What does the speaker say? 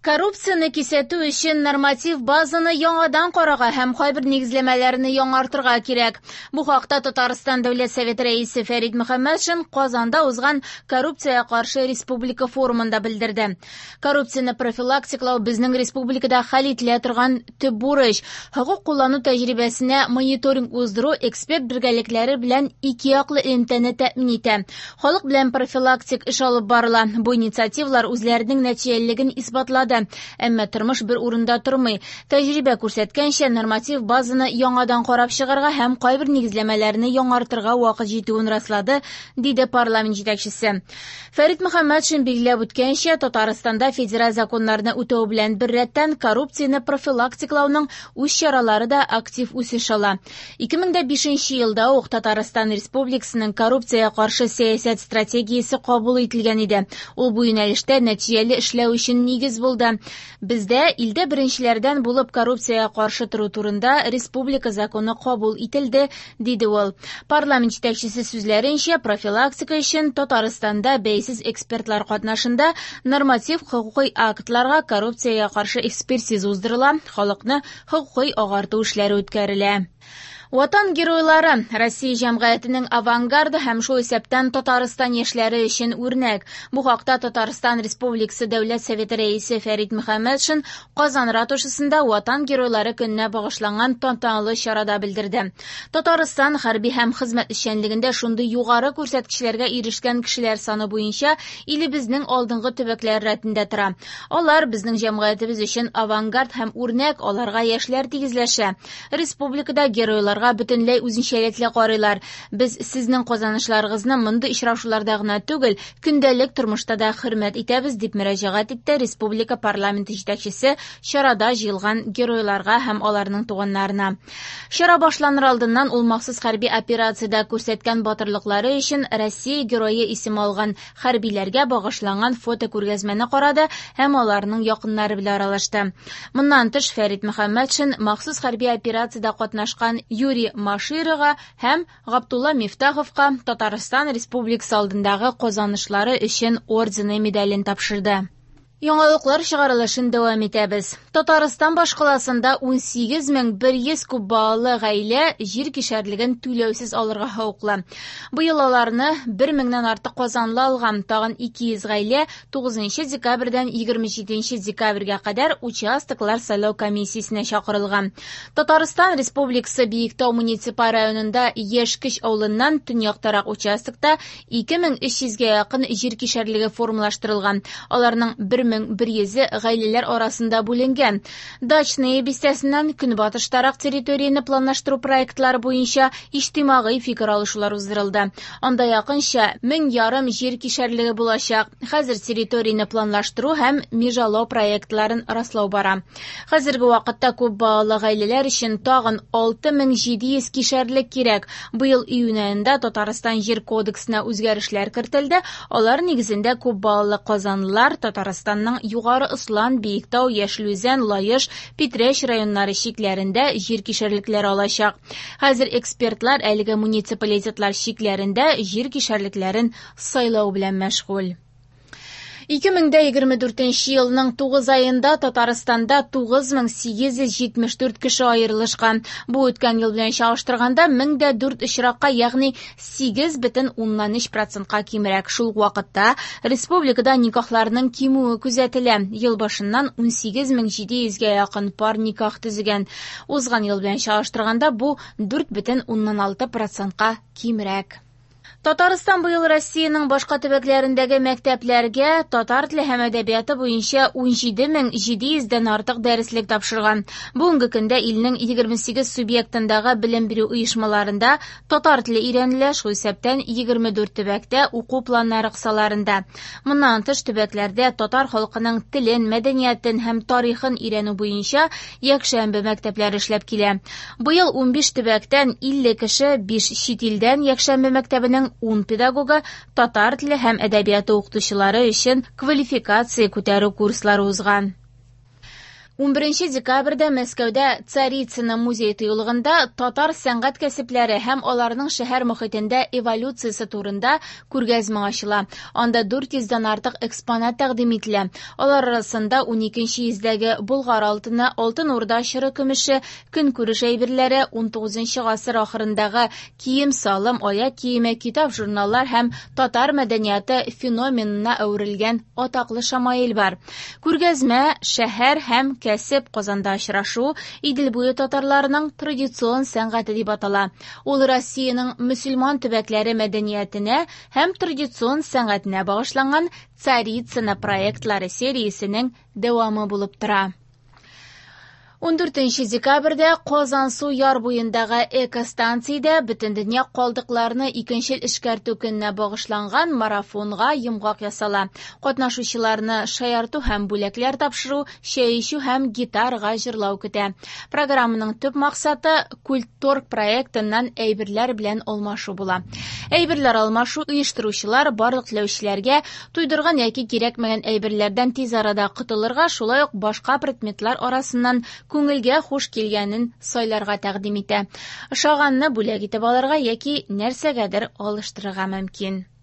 Коррупцияне кисәтү өчен норматив базаны яңадан карарга һәм кайбер нигезләмәләрне яңартырга кирәк. Бу хакта Татарстан Дәүләт Советы рәисе Фәрит Мөхәммәтшин Казанда узган коррупциягә каршы республика форумында белдерде. Коррупцияне профилактикалау безнең республикада хәл ителә торган төп бурыч. Хокук куллану тәҗрибәсенә мониторинг уздыру эксперт бергәлекләре белән ике яклы элемтәне тәэмин итә. Халык белән профилактик эш алып барыла. Бу инициативалар үзләренең нәтиҗәлелеген исбатлады. Әмма тормыш бер урында тормый. Тәҗрибә күрсәткәнчә, норматив базаны яңадан карап чыгарга һәм кайбер нигезләмәләрне яңартырга вакыт җитүен раслады, диде парламент җитәкчесе. Фәрит Мөхәммәтшин билгеләп үткәнчә, Татарстанда федераль законнарны үтәү белән беррәттән коррупцияне профилактикалауның үз чаралары да актив үсеш ала. 2005 елда ук Татарстан Республикасының коррупциягә каршы сәясәт стратегиясе кабул ителгән иде. Ул бу юнәлештә нәтиҗәле эшләү өчен нигез булды. Бездә илдә беренчеләрдән булып коррупциягә каршы тору турында республика законы кабул ителде, диде ул. Парламент җитәкчесе сүзләренчә, профилактика өчен Татарстанда бәйсез экспертлар катнашында норматив хокукый актларга коррупциягә каршы экспертиза уздырыла, халыкны хокукый агарту эшләре үткәрелә. Ватан геройлары Россия җәмгыятенең авангарды һәм шул исәптән Татарстан яшьләре өчен үрнәк. Бу хакта Татарстан Республикасы Дәүләт Советы рәисе Фәрит Мөхәммәтшин Казан ратушасында Ватан геройлары көненә багышланган тантаналы чарада белдерде. Татарстан хәрби һәм хезмәт эшчәнлегендә шундый югары күрсәткечләргә ирешкән кешеләр саны буенча илебезнең алдынгы төбәкләре рәтендә тора. Алар безнең җәмгыятебез өчен авангард һәм үрнәк, аларга яшьләр тигезләшә. Республикада геройларга бөтенләй үзенчәлекле карыйлар. Без сезнең казанышларыгызны мондый очрашуларда гына түгел, көндәлек тормышта да хөрмәт итәбез, дип мөрәҗәгать итте республика парламенты җитәкчесе чарада җыелган геройларга һәм аларның туганнарына. Чара башланыр алдыннан ул махсус хәрби операциядә күрсәткән батырлыклары өчен Россия герое исеме алган хәрбиләргә багышланган фотокүргәзмәне карады һәм аларның якыннары белән аралашты. Моннан тыш Фәрит Мөхәммәтшин махсус хәрби операциядә катнашкан Юрий Маширова һәм Габдулла Мифтаховка Татарстан Республикасы алдындагы казанышлары өчен ордены медален тапшырды. Яңалыклар чыгарылышын дәвам итәбез. Татарстан башкаласында 18100 күп балалы гаилә җир кишәрлеген түләүсез алырга хокуклы. Быел аларны 1000-нән артык казанлы алган, тагын 200 гаилә 9 декабрьдән 27 декабрьгә кадәр участоклар сайлау комиссиясенә чакырылган. Татарстан Республикасы Биектау муниципаль районында Яшькеч авылыннан төньяктарак участокта 2300-гә якын җир кишәрлеге формалаштырылган. Аларның 1100-е гаиләләр арасында бүленгән. Дачная бистәсеннән көнбатыштарак территорияне планлаштыру проектлары буенча иҗтимагый фикер алышулар уздырылды. Анда якынча 1500 җир кишәрлеге булачак. Хәзер территорияне планлаштыру һәм межалау проектларын раслау бара. Хәзерге вакытта күп балалы гаиләләр өчен тагын 6700 кишәрлек кирәк. Быел июнь аенда Татарстан Җир кодексына үзгәрешләр кертелде. Алар нигезендә күп балалы казанлылар Татарстанның Югары Ослан, Биектау, Яшел Үзән, Лаеш, Питрәч районнары чикләрендә җир кишәрлекләре алачак. Хәзер экспертлар әлеге муниципалитетлар чикләрендә җир кишәрлекләрен сайлау белән мәшгуль. 2024 елның 9 аенда Татарстанда 9874 кеше аерылышкан. Бу үткән ел белән чагыштырганда 1004 очракка, ягъни 8,3%-ка кимрәк. Шул ук вакытта республикада никахларның кимүе күзәтелә. Ел башыннан 18700-гә якын пар никах төзегән. Узган ел белән чагыштырганда бу 4,6%-ка кимрәк. Татарстан быел Россиянең башка төбәкләрендәге мәктәпләргә татар теле һәм әдәбияты буенча 17700-дән артык дәреслек тапшырган. Бүгенге көндә илнең 28 субъектындагы белем бирү оешмаларында татар теле өйрәнелә, шул исәптән 24 төбәктә уку планнары кысаларында. Моннан тыш төбәкләрдә татар халкының телен, мәдәниятен һәм тарихын өйрәнү буенча якшәмбе мәктәпләре эшләп килә. Быел 15 төбәктән 50 кеше 5 чит илдән якшәмбе мәктәбенең 10 педагогы татар теле һәм әдәбияты укытучылары өчен квалификация күтәрү курслары узган. 11 декабрьдә Мәскәүдә Царицыно музей-тыюлыгында татар сәнгать кәсепләре һәм аларның шәһәр мохитендә эволюциясе турында күргәзмә ачыла. Анда 400 дән артык экспонат тәкъдим ителә. Алар арасында 12 йөздәге Болгар алтыны, Алтын Урда чоры көмеше, көнкүреш әйберләре, 19 гасыр ахырындагы кием-салым, аяк киеме, китап-журналлар һәм татар мәдәнияты феноменына әверелгән атаклы шамаил бар. Күргәзмә шәһәр һәм кәсеп Казанда очрашу Идел буе татарларының традицион сәнгате дип атала. Ул Россиянең мөселман төбәкләре мәдәниятенә һәм традицион сәнгатенә багышланган Царицына проектлары сериясенең дәвамы булып тора. 14 декабрьдә Казансу яр буендагы экостанциядә Бөтендөнья калдыкларны икенчел эшкәртү көненә багышланган марафонга йомгак ясала. Катнашучыларны шаярту һәм бүләкләр тапшыру, чәй эчү һәм гитарага җырлау көтә. Программаның төп максаты Культторг проектыннан әйберләр белән алмашу була. Әйберләр алмашу оештыручылар барлык теләүчеләргә туйдырган яки кирәкмәгән әйберләрдән тиз арада котылырга, шулай ук башка предметлар арасыннан күңелгә хуш килгәнен сайларга тәкъдим итә. Ошаганны бүләк итеп алырга яки нәрсәгәдер алыштырырга мөмкин.